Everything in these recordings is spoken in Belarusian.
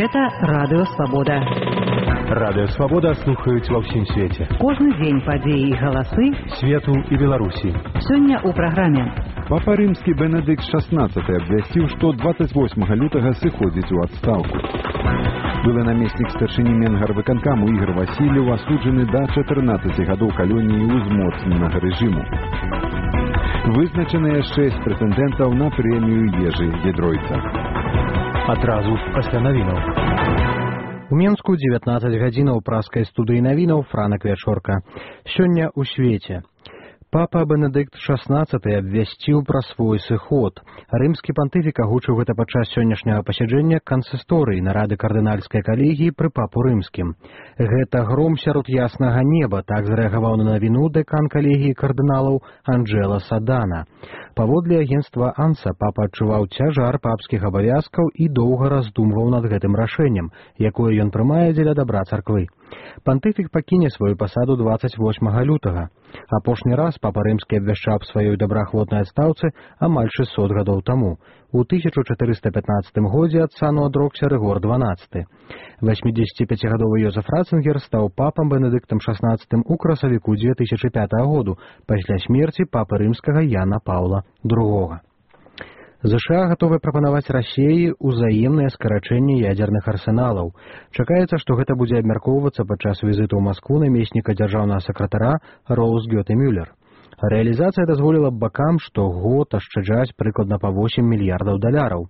Гэта Радыё Свабода. Радыё Свабода слухаюць ва ўсім свеце. Кожны дзень падзеі і галасы свету і Беларусі. Сёння ў праграме. Папа Рымскі Бенедыкт XVI абвясціў, што 28 лютага сыходзіць у адстаўку. Былы намеснік старшыні Менгарвыканкаму Ігор Васильев асуджаны да 14 гадоў калоніі ўзмоцненага рэжыму. Вызначаныя 6 прэтэндэнтаў на прэмію Ежы Гідройца. Адразу пасля навінаў. У Менску 19 гадзінаў праскай студыі навінаў Франак Вячорка. Сёння ў свеце. Папа Бенедыкт XVI абвясціў пра свой сыход. Рымскі пантыфік агучыў гэта падчас сённяшняга пасяджэння кансісторыі нарады кардынальскай калегіі пры папу рымскім. Гэта гром сярод яснага неба, так зрэагаваў на навіну дэкан калегіі кардыналаў Анджела Садана. Паводле агенцтва Анса папа адчуваў цяжар папскіх абавязкаў і доўга раздумваў над гэтым рашэннем, якое ён прымае дзеля дабра царквы. Пантыфік пакіне сваю пасаду 28 лютага. Апошні раз папа рымскі абвяшчаў аб сваёй добраахвотнай адстаўцы амаль 600 гадоў таму. У 1415 годзе ад сану адрокся Рыгор XII. 85-гадовы Йозеф Ратцингер стаў папам Бенедыктам XVI у красавіку 2005 году пасля смерці папы рымскага Яна Паўла II. ЗША гатовы прапанаваць Расіі ўзаемнае скарачэнне ядзерных арсеналаў. Чакаецца, што гэта будзе абмяркоўвацца падчас візіту ў Маскву намесніка дзяржаўнага сакратара Роуз Гёте Мюллер. Рэалізацыя дазволіла б бакам штогод ашчаджаць прыкладна па $8 мільярдаў.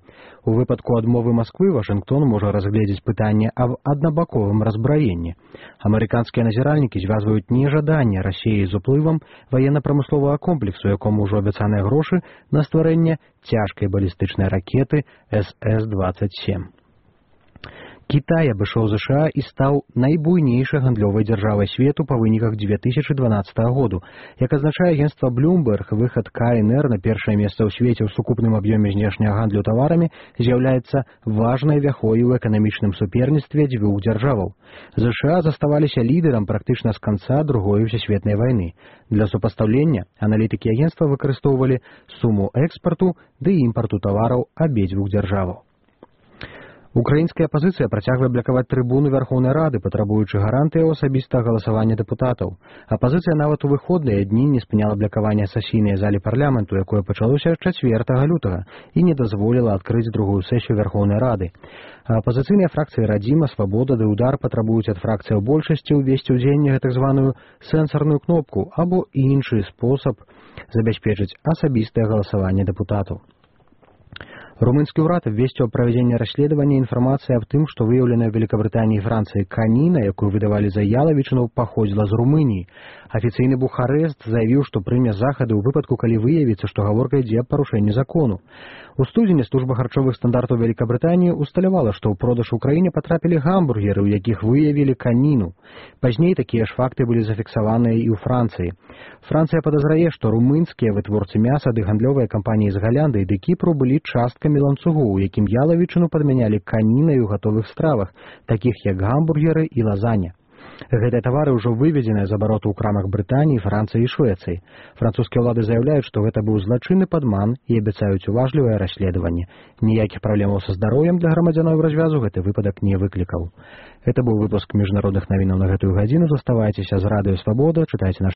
У выпадку адмовы Масквы Вашынгтон можа разгледзець пытанне аб аднабаковым разбраенні. Амерыканскія назіральнікі звязваюць нежаданне Расіі з уплывам ваенна-прамысловага комплексу, якому ўжо абяцаныя грошы на стварэнне цяжкай балістычнай ракеты СС-27. Кітай абышоў ЗША і стаў найбуйнейшай гандлёвай дзяржавай свету па выніках 2012 году. Як азначае агенцтва Bloomberg, выхад КНР на першае месца ў свеце ў сукупным аб'ёме знешняга гандлю таварамі з'яўляецца важнай вяхой у эканамічным суперніцтве дзвюх дзяржаваў. ЗША заставаліся лідарам практычна з канца Другой сусветнай вайны. Для супастаўлення аналітыкі агенцтва выкарыстоўвалі суму экспарту ды імпарту тавараў абедзвюх дзяржаваў. Украінская апазіцыя працягвае блакаваць трыбуну Вярхоўнай Рады, патрабуючы гарантыяў асабістага галасавання дэпутатаў. Апазіцыя нават у выходныя дні не спыняла блакаванне сесійнай залі парламенту, якое пачалося 4 лютага, і не дазволіла адкрыць другую сесію Вярхоўнай Рады. Апазіцыйныя фракцыі Радзіма, Свабода ды Удар патрабуюць ад фракцыяў большасці ўвесці ў дзеянне так званую сэнсарную кнопку або іншы спосаб забяспечыць асабістае галасаванне дэпутатаў. Румынскі ўрад абвесціў аб правядзенні расследавання інфармацыі аб тым, што выяўленая ў Великабрытаніі і Францыі каніна, якую выдавалі за ялавічыну, паходзіла з Румыніі. Афіцыйны Бухарэст заявіў, што прыме захады ў выпадку, калі выявіцца, што гаворка ідзе аб парушэнні закону. У студзені служба харчовых стандартаў Великабрытаніі усталявала, што ў продаж у краіне патрапілі гамбургеры, у якіх выявілі каніну. Пазней такія ж факты былі зафіксаваныя і ў Францыі. Францыя падазрае, што румынскія вытворцы мяса ды гандлёвыя кампаніі з Галяндыі ды Кіпру былі часткамі ланцугу, у якім ялавічыну падмянялі канінай у гатовых стравах, такіх як гамбургеры і лазаня. Гэтыя тавары ўжо выведзеныя з абароту ў крамах Брытаніі, Францыі і Швецыі. Французскія ўлады заяўляюць, што гэта быў злачынны падман і абяцаюць уважлівае расследаванне. Ніякіх праблемаў са здароўем для грамадзянаў развязу гэты выпадак не выклікаў. Гэта быў выпуск міжнародных навінаў на гэтую гадзіну. Заставайцеся з Радыё Свабода, чытайце наш